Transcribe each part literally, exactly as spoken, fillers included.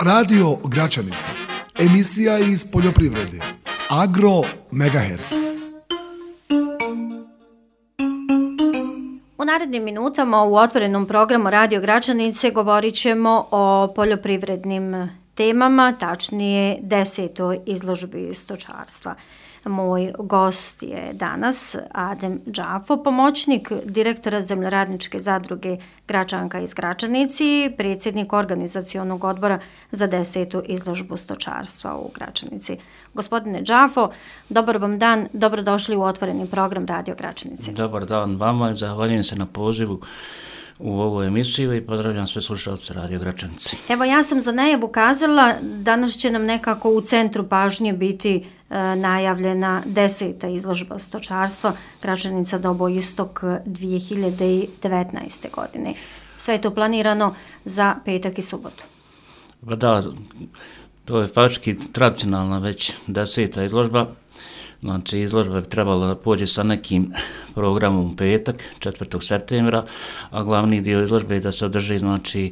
Radio Gračanica, emisija iz poljoprivrede, Agro Megahertz. U narednim minutama u otvorenom programu Radio Gračanice govorit ćemo o poljoprivrednim temama, tačnije desetoj izložbi stočarstva. Moj gost je danas Adem Džafo, pomoćnik direktora Zemljoradničke zadruge Gračanka iz Gračanici, predsjednik organizacionog odbora za desetu izložbu stočarstva u Gračanici. Gospodine Džafo, dobar vam dan, dobrodošli u otvoreni program Radio Gračanice. Dobar dan vama i zahvaljujem se na pozivu u ovu emisiju i pozdravljam sve slušalce Radio Gračanice. Evo, ja sam za najavu kazala, danas će nam nekako u centru pažnje biti e, najavljena deseta izložba stočarstva Gračanica Dobo Istok dvije hiljade devetnaeste. godine. Sve je to planirano za petak i subotu. Pa da, to je faktički tradicionalna već deseta izložba. Znači, izložba bi trebala da pođe sa nekim programom u petak, četvrtog septembra, a glavni dio izložbe je da se održi, znači,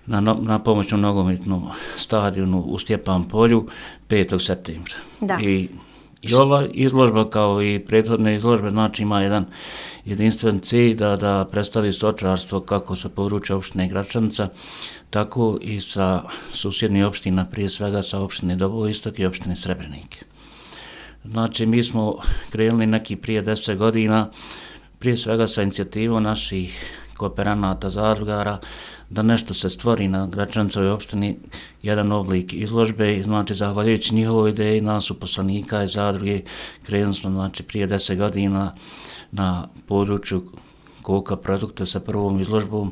na, na pomoćnom nogometnom stadionu u Stjepan polju petog septembra. Da. I, I ova izložba, kao i prethodne izložbe, znači ima jedan jedinstven cilj da, da predstavi stočarstvo kako sa područja opštine Gračanica, tako i sa susjednih opština, prije svega sa opštine Dobo Istok i opštine Srebrenike. Znači, mi smo krenuli neki prije deset godina, prije svega sa inicijativom naših kooperanata, zadrugara, da nešto se stvori na Gračanicovoj opštini, jedan oblik izložbe, znači, zahvaljujući njihovoj ideji, nas uposlenika i zadruge, krenuli smo, znači, prije deset godina na području koka produkta sa prvom izložbom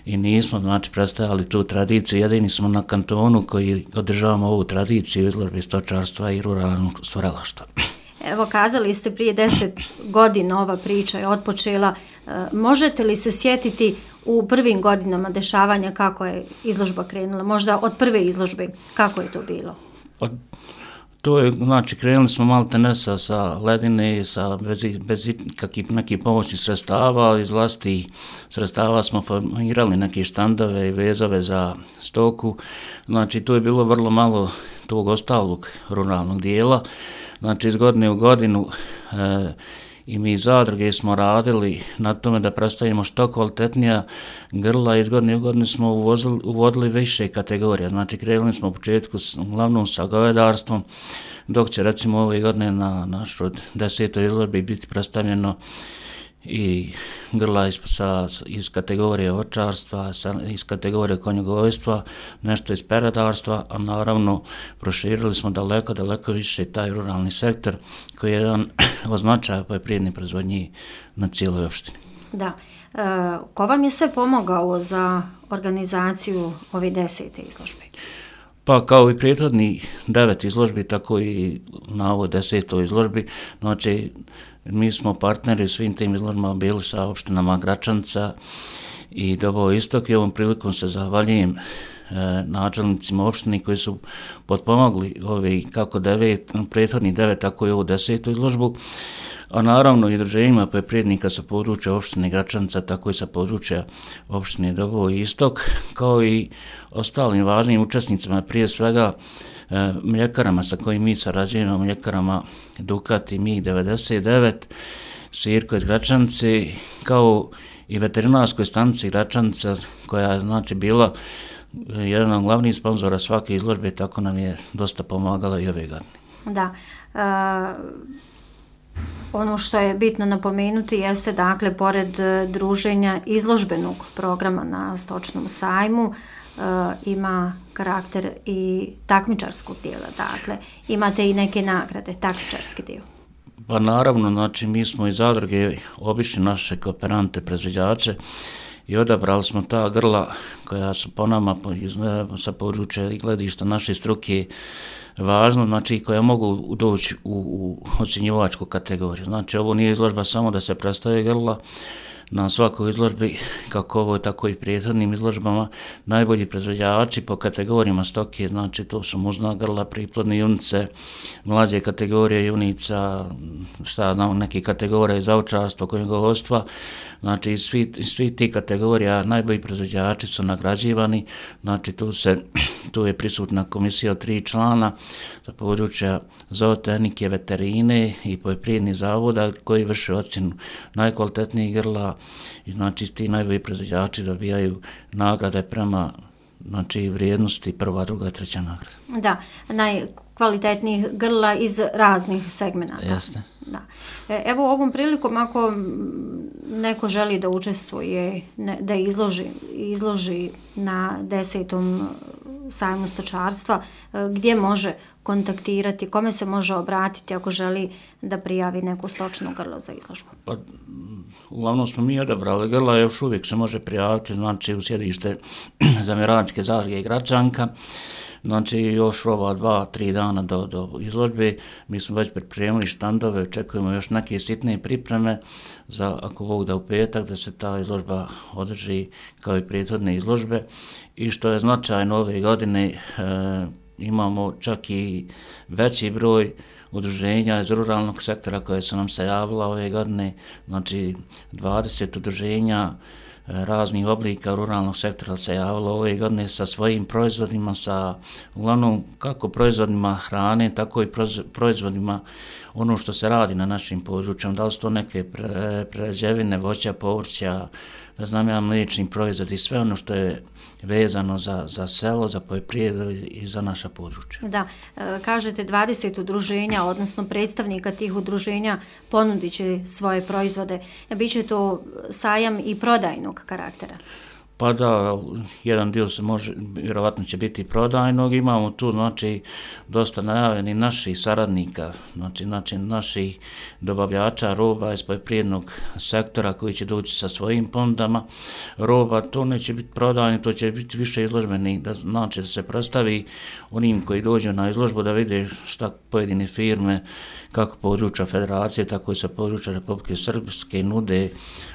i nismo, znači, predstavljali tu tradiciju, jedini smo na kantonu koji održavamo ovu tradiciju izložbe stočarstva i ruralnog stvaralaštva. Evo, kazali ste prije deset godina ova priča je otpočela. E, možete li se sjetiti u prvim godinama dešavanja kako je izložba krenula? Možda od prve izložbe, kako je to bilo? Od To je, znači, krenuli smo malo tenesa sa ledine, sa, bez, bez kakvih nekih pomoćnih sredstava, iz vlastitih sredstava smo formirali neke štandove i vezove za stoku, znači, tu je bilo vrlo malo tog ostalog ruralnog dijela, znači, iz godine u godinu e, i mi zadruge smo radili na tome da predstavimo što kvalitetnija grla, iz godine u godinu smo uvozili, uvodili više kategorija, znači krenuli smo u početku s, uglavnom sa govedarstvom, dok će recimo ove godine na našoj desetoj izložbi biti predstavljeno i grla iz, sa, iz kategorije očarstva, sa, iz kategorije konjogojstva, nešto iz peradarstva, a naravno proširili smo daleko, daleko više taj ruralni sektor koji je jedan od značaja poljoprivredne proizvodnje na cijeloj opštini. Da. E, ko vam je sve pomogao za organizaciju ove desete izložbe? Pa kao i prethodni devet izložbi, tako i na ovoj desetoj izložbi, znači mi smo partneri u svim tim izložbama bili sa opštinama Gračanica i Dobo Istok i ovom prilikom se zahvaljujem e, načelnicima opštini koji su potpomogli ovi kako devet, prethodni devet, tako i ovu desetu izložbu, a naravno i udruženjima poljoprivrednika sa područja opštine Gračanica, tako i sa područja opštine Dobo Istok, kao i ostalim važnim učesnicima, prije svega e, mljekarama sa kojim mi sarađujemo, mljekarama Dukat i mig devedeset devet, Sirko iz Gračanice, kao i veterinarskoj stanici Gračanica, koja je, znači, bila jedan od glavnih sponzora svake izložbe, tako nam je dosta pomagala i ove godine. Da. Uh... Ono što je bitno napomenuti jeste, dakle, pored druženja izložbenog programa na stočnom sajmu, e, ima karakter i takmičarskog dijela, dakle, imate i neke nagrade, takmičarski dio. Pa naravno, znači, mi smo iz zadruge obišli naše kooperante, proizvođače i odabrali smo ta grla koja su po nama iz, sa područja i gledišta naše struke važno, znači, koja mogu doći u, u ocjenjivačku kategoriju. Znači, ovo nije izložba samo da se predstave grla, na svakoj izložbi, kako ovo tako i prethodnim izložbama, najbolji proizvođači po kategorijama stoke, znači to su muzna grla, priplodne junice, mlađe kategorije junica, šta znam, neke kategorije za ovčarstvo, konjogojstva, znači svi, svi ti kategorija najbolji proizvođači su nagrađivani, znači tu se tu je prisutna komisija od tri člana za područja zootehnike, veterine i poljoprivrednih zavoda koji vrše ocjenu najkvalitetnijih grla i znači ti najbolji proizvođači dobijaju nagrade prema znači vrijednosti prva, druga, treća nagrada. Da, najkvalitetnijih grla iz raznih segmenata. Jeste. Da. Evo ovom prilikom ako neko želi da učestvuje, da izloži, izloži na desetom sajmu stočarstva, gdje može kontaktirati, kome se može obratiti ako želi da prijavi neko stočno grlo za izložbu? Pa, uglavnom smo mi odabrali grla, još uvijek se može prijaviti, znači u sjedište Zemljoradničke zadruge Gračanka. Znači još ova dva, tri dana do, do izložbe, mi smo već pripremili štandove, očekujemo još neke sitne pripreme za, ako Bog da u petak, da se ta izložba održi kao i prethodne izložbe. I što je značajno ove godine, e, imamo čak i veći broj udruženja iz ruralnog sektora koje su nam se javila ove godine, znači dvadeset udruženja raznih oblika ruralnog sektora se javilo ove godine sa svojim proizvodima, sa uglavnom kako proizvodima hrane, tako i proizvodima ono što se radi na našim područjima, da li su to neke prerađevine, voća, povrća, ne znam ja, mliječni proizvod i sve ono što je vezano za, za selo, za poljoprivredu i za naša područja. Da, kažete dvadeset udruženja, odnosno predstavnika tih udruženja ponudit će svoje proizvode. Biće to sajam i prodajnog karaktera? Pa da, jedan dio se može, vjerovatno će biti prodajnog, imamo tu znači dosta najavljenih naših saradnika, znači, znači naših dobavljača roba iz poljoprivrednog sektora koji će doći sa svojim ponudama roba, to neće biti prodajni, to će biti više izložbeni, da znači da se predstavi onim koji dođu na izložbu da vide šta pojedine firme, kako područja federacije, tako i sa područja Republike Srpske nude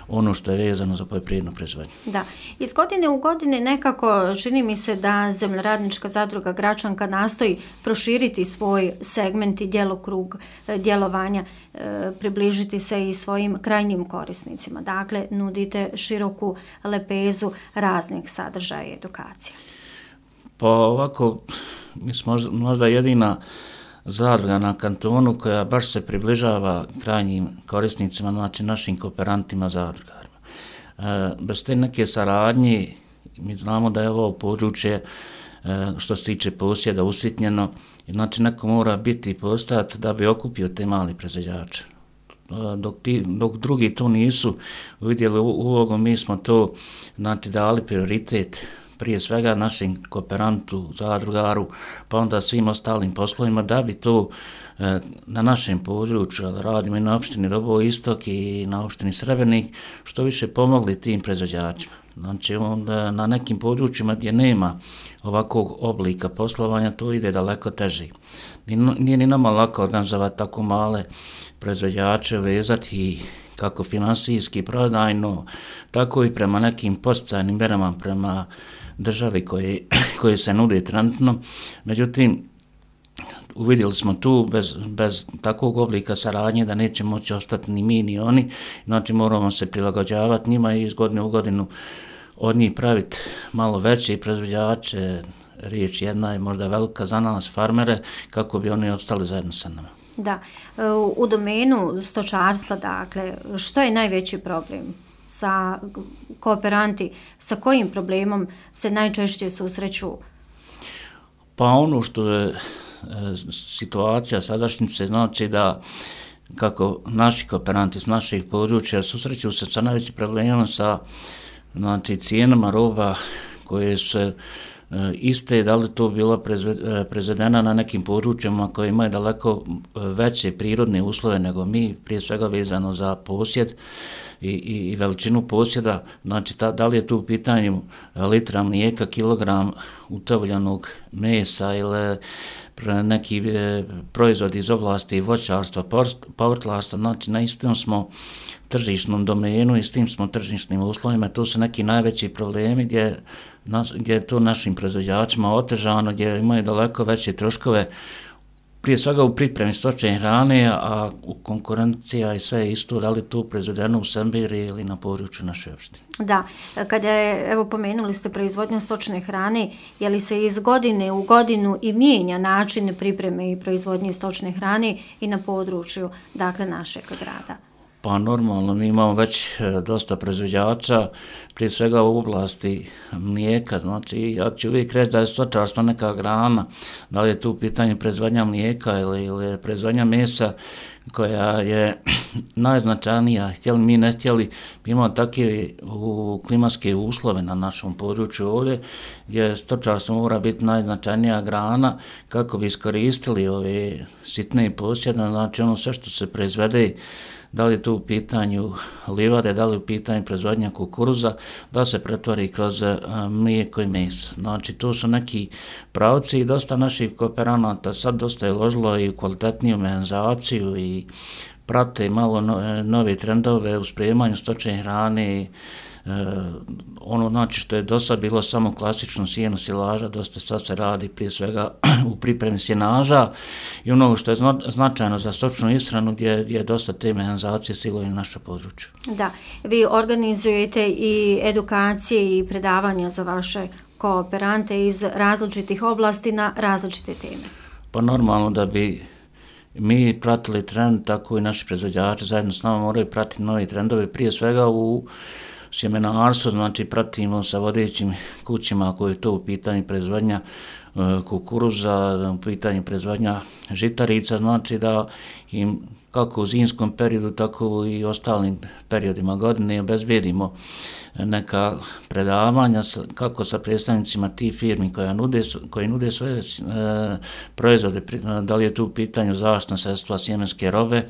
ono što je vezano za poljoprivrednu proizvodnju. Da, iz godine u godine nekako čini mi se da Zemljoradnička zadruga Gračanka nastoji proširiti svoj segment i djelokrug djelovanja, e, približiti se i svojim krajnjim korisnicima. Dakle, nudite široku lepezu raznih sadržaja i edukacije. Pa ovako, mi smo možda jedina zadruga na kantonu koja baš se približava krajnjim korisnicima, znači našim kooperantima zadrugarima. E, bez te neke saradnje, mi znamo da je ovo područje e, što se tiče posjeda usitnjeno, znači neko mora biti i postojati da bi okupio te mali proizvođače. E, dok, ti, dok drugi to nisu uvidjeli ulogu, mi smo to znači, dali prioritet prije svega našim kooperantu, zadrugaru, pa onda svim ostalim poslovima, da bi to e, na našem području, radimo i na opštini Doboj Istok i na opštini Srebrnik, što više pomogli tim proizvođačima. Znači, onda na nekim područjima gdje nema ovakvog oblika poslovanja, to ide daleko teže. Nije ni nama lako organizovati tako male proizvođače, vezati i kako finansijski, prodajno, tako i prema nekim posticajnim mjerama prema državi koje, koje se nude trenutno. Međutim, uvidjeli smo tu bez, bez takvog oblika saradnje da neće moći ostati ni mi ni oni, znači moramo se prilagođavati njima i iz godine u godinu od njih praviti malo veće proizvođače, riječ jedna je možda velika za nas, farmere, kako bi oni opstali zajedno sa nama. Da, u domenu stočarstva, dakle, što je najveći problem sa kooperanti, sa kojim problemom se najčešće susreću? Pa ono što je e, situacija sadašnjice, znači da kako naši kooperanti s naših područja susreću se sa najvećim problemom sa znači, cijenama roba koje se iste, da li to bilo proizvedena na nekim područjima koji imaju daleko veće prirodne uslove nego mi, prije svega vezano za posjed i, i, i veličinu posjeda, znači ta, da li je tu u pitanju litra mlijeka, kilogram utovljenog mesa ili neki e, proizvod iz oblasti voćarstva, povrtlarstva, znači na istom smo tržišnom domenu i s tim smo tržišnim uslovima, to su neki najveći problemi gdje, na, gdje je to našim proizvođačima otežano, gdje imaju daleko veće troškove prije svega u pripremi stočne hrane, a u konkurencija i sve isto, da li tu proizvedeno u Sembiri ili na području naše opštine. Da, kada je, evo pomenuli ste proizvodnju stočne hrane, je li se iz godine u godinu i mijenja način pripreme i proizvodnje stočne hrane i na području, dakle, našeg grada? Pa normalno, mi imamo već dosta proizvođača, prije svega u oblasti mlijeka, znači ja ću uvijek reći da je stočarstvo neka grana, da li je tu pitanje proizvodnja mlijeka ili, ili proizvodnja mesa koja je najznačajnija, htjeli mi ne htjeli, imamo takve u klimatske uslove na našom području ovdje, gdje stočarstvo mora biti najznačajnija grana kako bi iskoristili ove sitne posjede, znači ono sve što se proizvede, da li je tu u pitanju livade, da li je u pitanju proizvodnja kukuruza, da se pretvori kroz mlijeko i meso. Znači, tu su neki pravci i dosta naših kooperanata sad dosta je ložilo i u kvalitetniju mehanizaciju i prate malo no, nove trendove u spremanju stočne hrane. E, ono znači što je do sad bilo samo klasično sjeno silaža, dosta sad se radi prije svega u pripremi sjenaža i ono što je zna, značajno za stočnu ishranu gdje, gdje je dosta te mehanizacije silovi na naše područje. Da, vi organizujete i edukacije i predavanja za vaše kooperante iz različitih oblasti na različite teme. Pa normalno da bi mi pratili trend, tako i naši proizvođači zajedno s nama moraju pratiti novi trendovi, prije svega u sjemenarstvo, znači pratimo sa vodećim kućima ako je to u pitanju proizvodnja kukuruza, u pitanju proizvodnja žitarica, znači da im kako u zimskom periodu, tako i ostalim periodima godine obezbedimo neka predavanja kako sa predstavnicima tih firmi koja nude, koji nude svoje e, proizvode, da li je tu u pitanju zaštitna sredstva, sjemenske robe,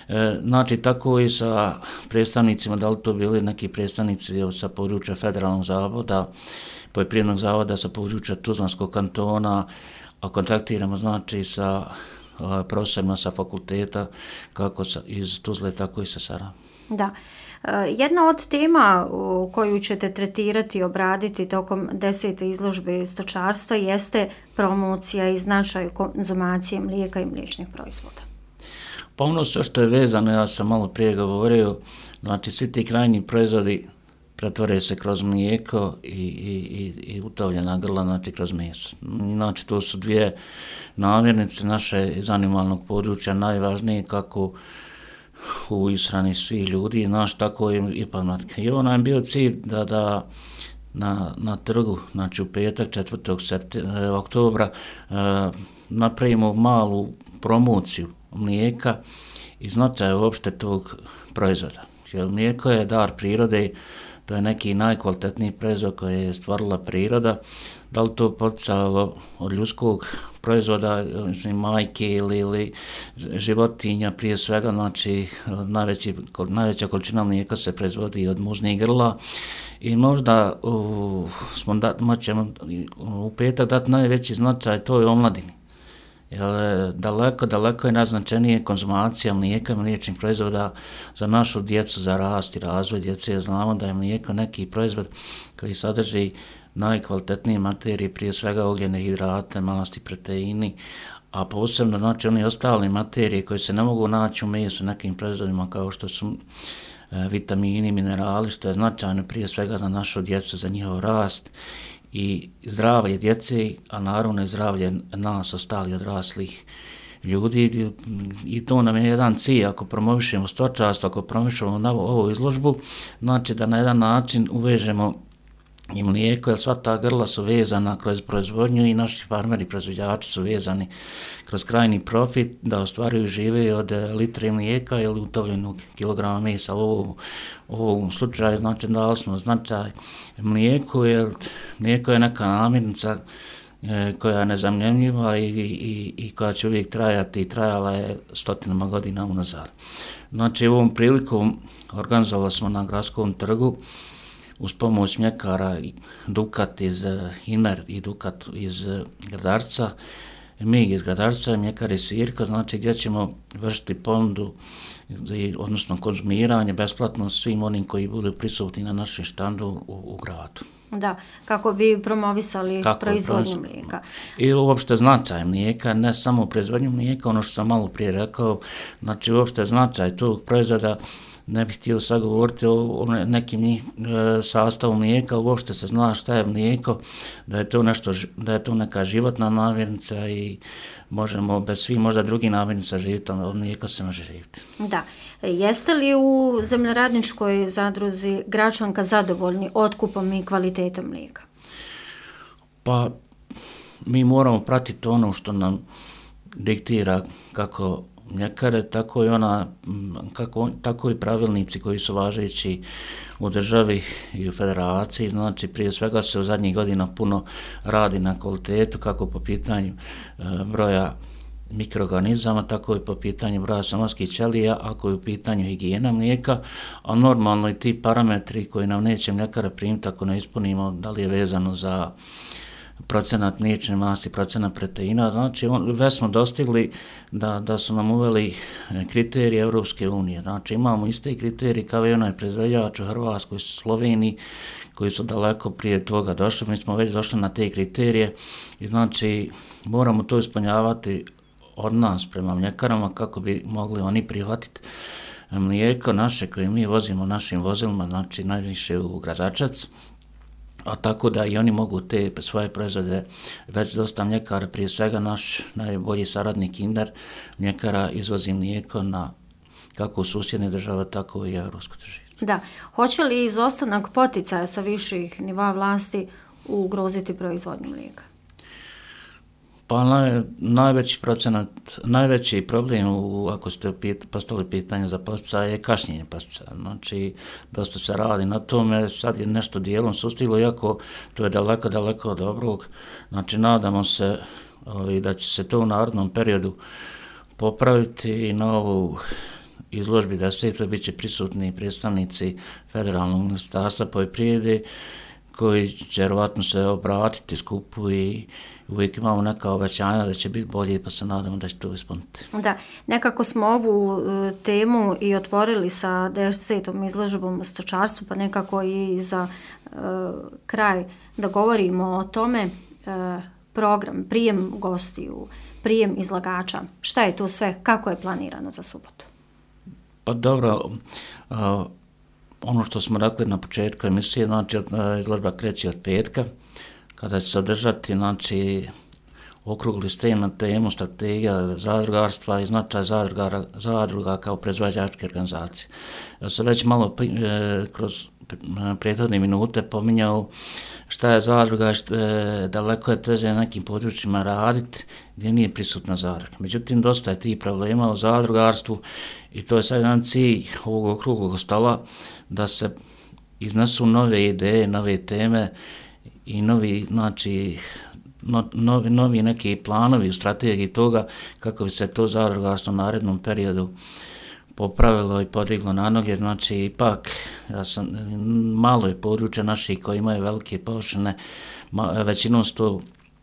E, znači tako i sa predstavnicima, da li to bili neki predstavnici sa područja Federalnog zavoda, poljoprivrednog zavoda sa područja Tuzlanskog kantona, a kontaktiramo znači sa a, profesorima sa fakulteta kako sa, iz Tuzle, tako i sa Sarajeva. Da. Jedna od tema koju ćete tretirati i obraditi tokom desete izložbe stočarstva jeste promocija i značaj konzumacije mlijeka i mliječnih proizvoda. Pa ono sve što je vezano, ja sam malo prije govorio, znači svi ti krajnji proizvodi pretvore se kroz mlijeko i, i, i utovljena grla, znači kroz meso. Znači to su dvije namirnice naše iz animalnog područja najvažnije kako u ishrani svih ljudi, znaš, tako i, i pamlatka. I ono je bio cilj da, da na, na trgu, znači u petak četvrtog oktobra eh, napravimo malu promociju mlijeka i značaj uopšte tog proizvoda. Jer mlijeko je dar prirode, to je neki najkvalitetniji proizvod koji je stvarila priroda, da li to poticalo od ljudskog proizvoda, mislim, majke ili, ili životinja prije svega, znači najveći, najveća količina mlijeka se proizvodi od muznih grla i možda u, smo da, moćemo u petak dati najveći značaj toj omladini. Jer daleko, daleko je najznačajnije konzumacija mlijeka i mliječnih proizvoda za našu djecu, za rast i razvoj djece. Jer znamo da je mlijeko neki proizvod koji sadrži najkvalitetnije materije, prije svega ugljene hidrate, masti, proteini, a posebno znači oni ostali materije koje se ne mogu naći u mesu nekim proizvodima kao što su e, vitamini, minerali, što je značajno prije svega za našu djecu, za njihov rast i zdravlje djece, a naravno i zdravlje nas, ostali odraslih ljudi. I to nam je jedan cilj, ako promovišemo stočarstvo, ako promovišemo na ovu izložbu, znači da na jedan način uvežemo i mlijeko, jer sva ta grla su vezana kroz proizvodnju i naši farmeri, proizvođači su vezani kroz krajni profit da ostvaruju žive od litre mlijeka ili utovljenog kilograma mesa. U ovom slučaju znači dali smo značaj mlijeku, jer mlijeko je neka namirnica koja je nezamjenjiva i, i, i koja će uvijek trajati i trajala je stotinama godina unazad. Znači ovom prilikom organizovali smo na gradskom trgu uz pomoć mljekara Dukat iz Imer i Dukat iz Gradarca Mig iz Gradarca, Mljekare Sirka, znači gdje ćemo vršiti ponudu, odnosno konzumiranje besplatno svim onim koji budu prisutni na našem štandu u, u gradu. Da, kako bi promovisali kako proizvodnju mlijeka. I uopšte značaj mlijeka, ne samo proizvodnju mlijeka, ono što sam malo prije rekao, znači uopšte značaj tog proizvoda, ne bih htio sad govoriti o nekim e, sastavu mlijeka, uopšte se zna šta je mlijeko, da je to nešto, da je to neka životna namirnica i možemo bez svih možda drugih namirnica živjeti, ali od mlijeka se može živjeti. Da. Jeste li u zemljoradničkoj zadruzi Gračanka zadovoljni otkupom i kvalitetom mlijeka? Pa mi moramo pratiti ono što nam diktira kako mljekare, tako i ona, kako, tako i pravilnici koji su važeći u državi i u federaciji. Znači, prije svega se u zadnjih godina puno radi na kvalitetu, kako po pitanju e, broja mikroorganizama, tako i po pitanju broja somatskih ćelija, ako je u pitanju higijena mlijeka, a normalno i ti parametri koji nam neće mljekara primiti ako ne ispunimo, da li je vezano za procenat mliječne masti, procenat proteina, znači on, već smo dostigli da, da su nam uveli kriterije Europske unije, znači imamo iste kriterije kao i onaj proizvođač u Hrvatskoj, Sloveniji, koji su daleko prije toga došli, mi smo već došli na te kriterije i znači moramo to ispunjavati od nas prema mljekarama kako bi mogli oni prihvatiti mlijeko naše koje mi vozimo našim vozilima, znači najviše u Gradačac, a tako da i oni mogu te svoje proizvode, već dosta mljekara, prije svega naš najbolji saradnik Kinder mljekara izvozi mlijeko na kako u susjedne države, tako i evropsko tržište. Da. Hoće li izostanak poticaja sa viših nivoa vlasti ugroziti proizvodnju mlijeka? Pa naj, najveći procenat, najveći problem u, ako ste pit, postali pitanje za poticaje je kašnjenje poticaja. Znači, dosta se radi na tome, sad je nešto dijelom sustiglo, iako to je daleko, daleko od dobrog. Znači, nadamo se ovi, da će se to u narednom periodu popraviti i na ovu izložbi desetoj bit će prisutni predstavnici Federalnog ministarstva poljoprivrede koji će vjerovatno se obratiti skupu i uvijek imamo neka obećanja da će biti bolje, pa se nadamo da će to ispuniti. Da, nekako smo ovu e, temu i otvorili sa desetom izložbom u stočarstvu, pa nekako i za e, kraj da govorimo o tome, e, program, prijem gostiju, prijem izlagača, šta je to sve, kako je planirano za subotu? Pa dobro, a, ono što smo rekli na početku emisije, znači izložba kreće od petka, kada će se održati, znači, okrugli stol na temu strategija zadrugarstva i značaj zadruga, zadruga kao proizvođačke organizacije. Ja sam već malo e, kroz prethodne minute pominjao šta je zadruga, šta je, daleko je teže na nekim područjima raditi gdje nije prisutna zadruga. Međutim, dosta je tih problema u zadrugarstvu i to je sad jedan cilj ovog okruglog stola da se iznesu nove ideje, nove teme i novi, znači, no, novi, novi neki planovi u strategiji toga kako bi se to zadrugarstvo u narednom periodu popravilo i podiglo na noge. Znači, ipak, ja sam, malo je područja naših koji imaju velike površine, većinom su to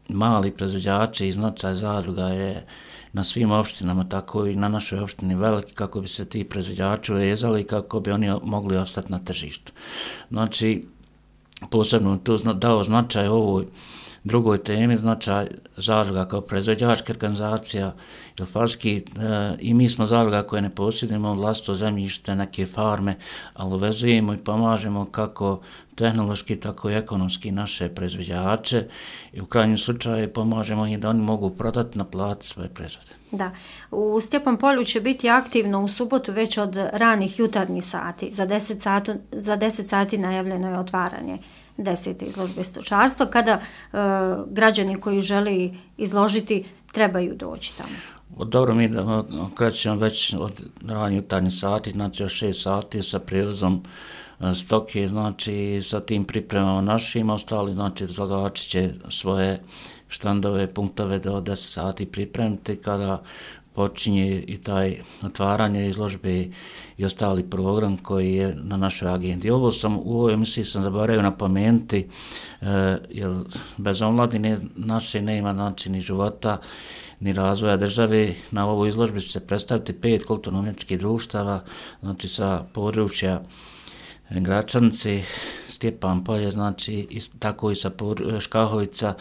mali proizvođači i značaj zadruga je na svim opštinama, tako i na našoj opštini veliki, kako bi se ti proizvođači vezali i kako bi oni mogli opstati na tržištu. Znači, posebno tu dao značaj ovoj drugoj temi, značaj zadruga kao proizvođačka organizacija, jer falski, e, i mi smo zadruga koje ne posjedujemo vlastito zemljište, neke farme, ali uvezujemo i pomažemo kako tehnološki, tako i ekonomski naše proizvođače i u krajnjem slučaju pomažemo i da oni mogu prodati, naplatiti svoje proizvode. Da, u Stjepan polju će biti aktivno u subotu već od ranih jutarnjih sati. Za deset sati, za deset sati najavljeno je otvaranje desete izložbe stočarstva, kada e, građani koji žele izložiti trebaju doći tamo. Dobro, mi da krećemo već od ranih jutarnjih sati, znači od šest sati sa prijevozom stoke, znači sa tim pripremama našim, ostali, znači izlagači će svoje štandove, punktove do deset sati pripremiti, kada počinje i taj otvaranje izložbe i ostali program koji je na našoj agendi. Ovo sam, u ovoj emisiji sam zaboravio napomenuti, e, jer bez omladine naše nema znači ni života, ni razvoja države. Na ovoj izložbi će se predstaviti pet kulturno-umjetničkih društava, znači sa područja Gračanice, Stjepan Polje, znači i, tako i sa Škahovica,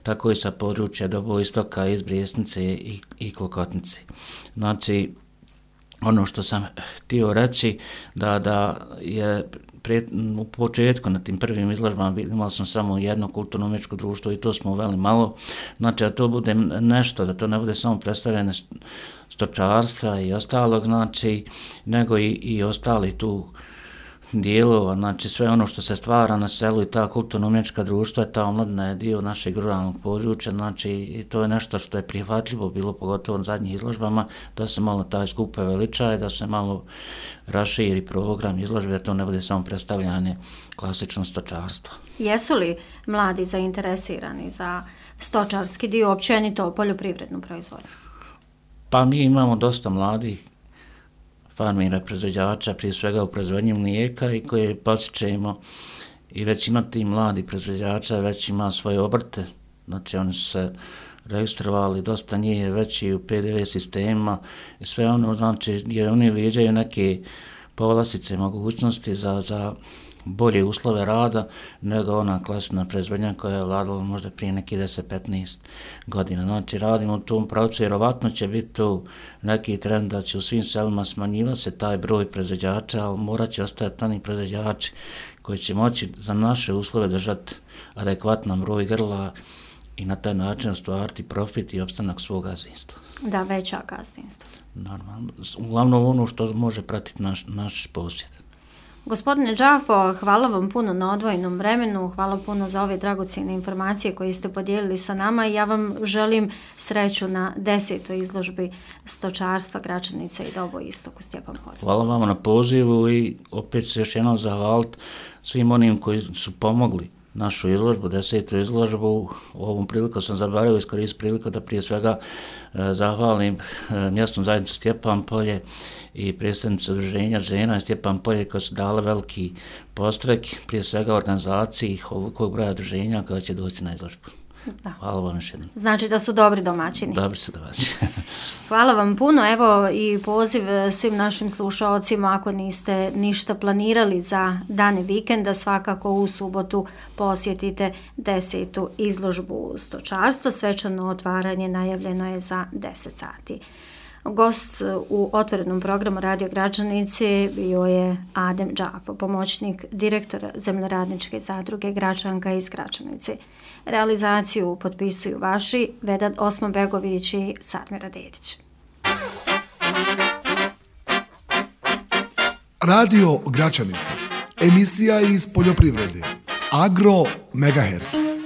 tako i sa područja Doboistoka, iz Brijesnice i, i Klokotnice. Znači, ono što sam htio reći, da, da je pre, u početku na tim prvim izložbama imali smo samo jedno kulturno-umjetničko društvo i to smo uveli malo, znači da to bude nešto, da to ne bude samo predstavljene stočarstva i ostalog, znači, nego i, i ostali tu dijelova, znači sve ono što se stvara na selu i ta kulturno-umjetnička društva, ta omladina je dio našeg ruralnog područja, znači i to je nešto što je prihvatljivo bilo, pogotovo na zadnjih izložbama, da se malo taj skup veličaje, da se malo raširi program izložbe, da to ne bude samo predstavljanje klasično stočarstva. Jesu li mladi zainteresirani za stočarski dio, općenito poljoprivrednu proizvodnju? Pa mi imamo dosta mladih farmira, proizvođača, prije svega u proizvodnji mlijeka i koje posjećujemo i većina tih mladih proizvođača već ima svoje obrte, znači oni su se registrovali, dosta njih je već i u P D V sistema i sve ono, znači gdje oni viđaju neke povlastice mogućnosti za, za bolje uslove rada nego ona klasična proizvodnja koja je vladala možda prije neki deset do petnaest godina. Znači radimo u tom pravcu, vjerovatno će biti tu neki trend da će u svim selima smanjivati se taj broj proizvođača, ali morat će ostajati oni proizvođači koji će moći za naše uslove držati adekvatan broj grla i na taj način ostvariti profit i opstanak svog gazdinstva. Da, veća gazdinstva. Normalno. Uglavnom ono što može pratiti naš, naš posjed. Gospodine Džafo, hvala vam puno na odvojenom vremenu, hvala puno za ove dragocjene informacije koje ste podijelili sa nama i ja vam želim sreću na desetoj izložbi stočarstva Gračanice i Doboistok u Stjepan Polju. Hvala vam na pozivu i opet se još jednom zahvaliti svim onim koji su pomogli našu izložbu, desetu izložbu. U ovom priliku sam zaboravio iskoristiti priliku da prije svega e, zahvalim e, mjesnu zajednicu Stjepan Polje i predstavnicu udruženja žena Stjepan Polje koji su dali veliki postrek, prije svega organizaciji ovolikog broja udruženja koja će doći na izložbu. Da. Hvala vam još jednom. Znači da su dobri domaćini. Dobri su domaćini. Hvala vam puno. Evo i poziv svim našim slušaocima, ako niste ništa planirali za dane vikenda, svakako u subotu posjetite desetu izložbu stočarstva. Svečano otvaranje najavljeno je za deset sati. Gost u otvorenom programu Radio Gračanice bio je Adem Džafo, pomoćnik direktora Zemljoradničke zadruge Gračanka iz Gračanice. Realizaciju potpisuju vaši Vedad Osmanbegović i Satmira Dedić. Radio Gračanica, emisija iz poljoprivrede, Agro Megahertz.